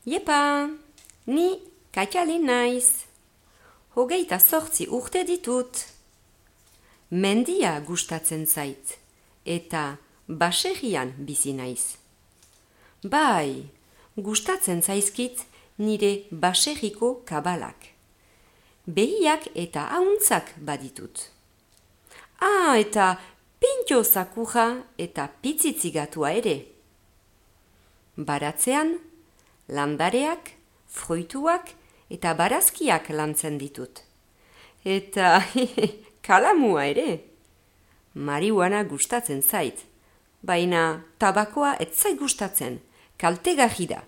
Iepa, ni Katialin naiz. 28 urte ditut. Mendia gustatzen zait, eta baserrian bizi naiz. Bai, gustatzen zaizkit nire baserriko kabalak. Behiak eta ahuntzak baditut. Eta pintxo zakurra eta pitzitzigatua ere. Baratzean, landareak, fruituak eta barazkiak lantzen ditut. Eta kalamua ere. Marihuana gustatzen zait, baina tabakoa ez zait gustatzen, kaltegarri da.